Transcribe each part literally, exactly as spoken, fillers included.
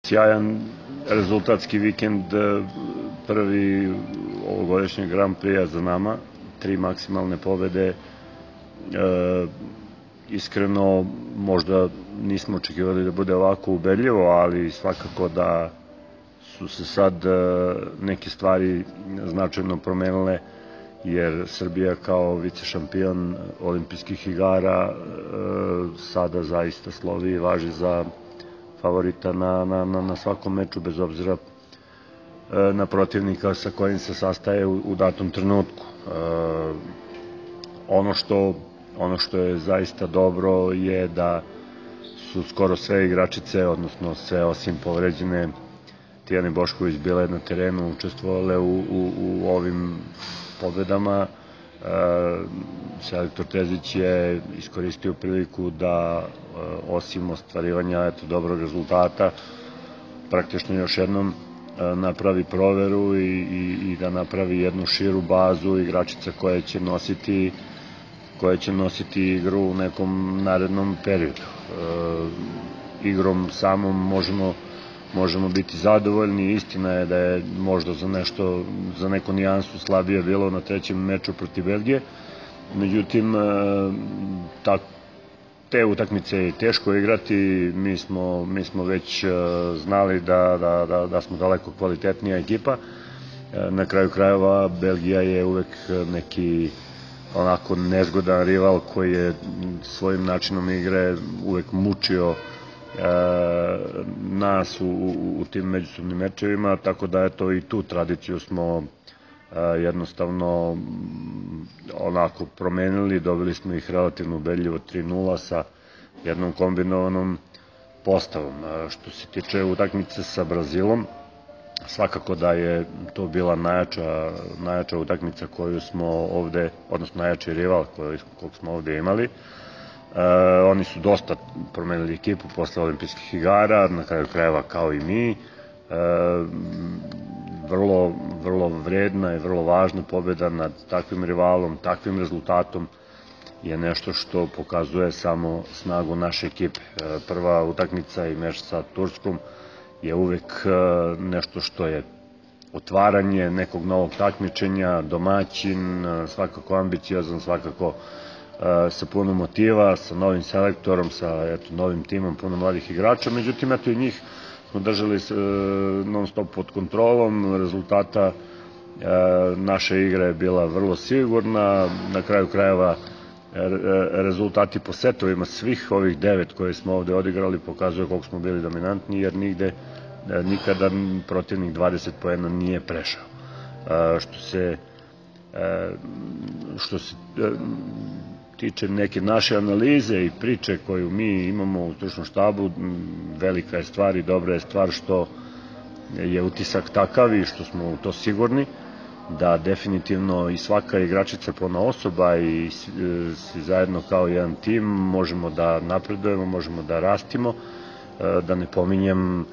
Sjajan rezultatski vikend, prvi ovogodišnjeg Grand Prix za nama, tri maksimalne pobede. Iskreno, možda nismo očekivali da bude ovako ubedljivo, ali svakako da su se sad neke stvari značajno promenile, jer Srbija kao vice šampion olimpijskih igara sada zaista slovi i važi za favorita na, na, na svakom meču, bez obzira na protivnika sa kojim se sastaje u, u datom trenutku. Ono što, ono što je zaista dobro je da su skoro sve igračice, odnosno sve osim povređene Tijane Bošković, bile na terenu, učestvovale u, u, u ovim pobedama. Selektor Terzić je iskoristio priliku da osim ostvarivanja eto, dobrog rezultata praktično još jednom napravi proveru i, i, i da napravi jednu širu bazu igračica koje će nositi koje će nositi igru u nekom narednom periodu. E, igrom samom možemo možemo biti zadovoljni. Istina je da je možda za nešto, za neku nijansu slabije bilo na trećem meču protiv Belgije. Međutim, te utakmice je teško igrati. Mi smo, mi smo već znali da, da, da, da smo daleko kvalitetnija ekipa. Na kraju krajeva Belgija je uvek neki onako nezgodan rival koji je svojim načinom igre uvek mučio nas u, u, u tim međusobnim mečevima, tako da eto i tu tradiciju smo jednostavno onako promenili, dobili smo ih relativno ubedljivo tri nula sa jednom kombinovanom postavom. Što se tiče utakmice sa Brazilom, svakako da je to bila najjača, najjača utakmica koju smo ovde, odnosno najjači rival kojeg smo ovde imali. Uh, oni su dosta promenili ekipu posle olimpijskih igara, na kraju krajeva kao i mi. Uh, vrlo, vrlo vredna i vrlo važna pobeda nad takvim rivalom, takvim rezultatom je nešto što pokazuje samo snagu naše ekipe. Uh, prva utakmica i meč sa Turskom je uvek uh, nešto što je otvaranje nekog novog takmičenja, domaćin, uh, svakako ambiciozan, svakako sa puno motiva, sa novim selektorom, sa eto, novim timom, puno mladih igrača. Međutim, eto i njih smo držali non stop pod kontrolom, rezultata naša igra je bila vrlo sigurna, na kraju krajeva rezultati po setovima svih ovih devet koje smo ovde odigrali pokazuju koliko smo bili dominantni, jer nigde nikada protivnik dvadeset poena nije prešao. Što se što se tiče neke naše analize i priče koju mi imamo u stručnom štabu, velika je stvar i dobra je stvar što je utisak takav i što smo u to sigurni, da definitivno i svaka igračica ponaosoba i svi zajedno kao jedan tim možemo da napredujemo, možemo da rastimo, da ne pominjem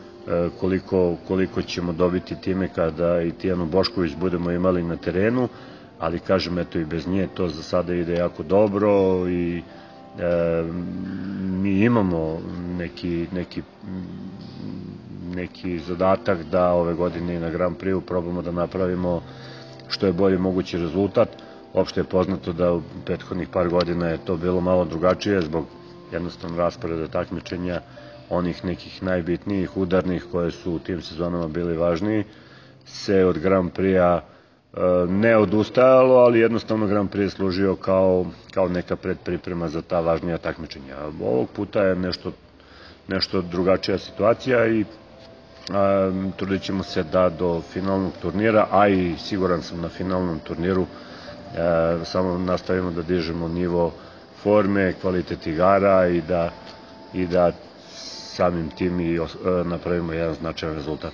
koliko, koliko ćemo dobiti time kada i Tijanu Bošković budemo imali na terenu, ali kažem, eto i bez nje to za sada ide jako dobro i e, mi imamo neki, neki, neki zadatak da ove godine na Grand Prix probamo da napravimo što je bolje mogući rezultat. Opšte je poznato da u prethodnih par godina je to bilo malo drugačije zbog jednostavno rasporeda takmičenja, onih nekih najbitnijih, udarnih koje su u tim sezonama bili važniji, se od Grand Prix-a ne odustajalo, ali jednostavno Grand Prix je služio kao, kao neka predpriprema za ta važnija takmičenja. Ovog puta je nešto, nešto drugačija situacija i a, trudit ćemo se da do finalnog turnira, a i siguran sam na finalnom turniru, a, samo nastavimo da dižemo nivo forme, kvalitet igara i da, i da samim tim i napravimo jedan značajan rezultat.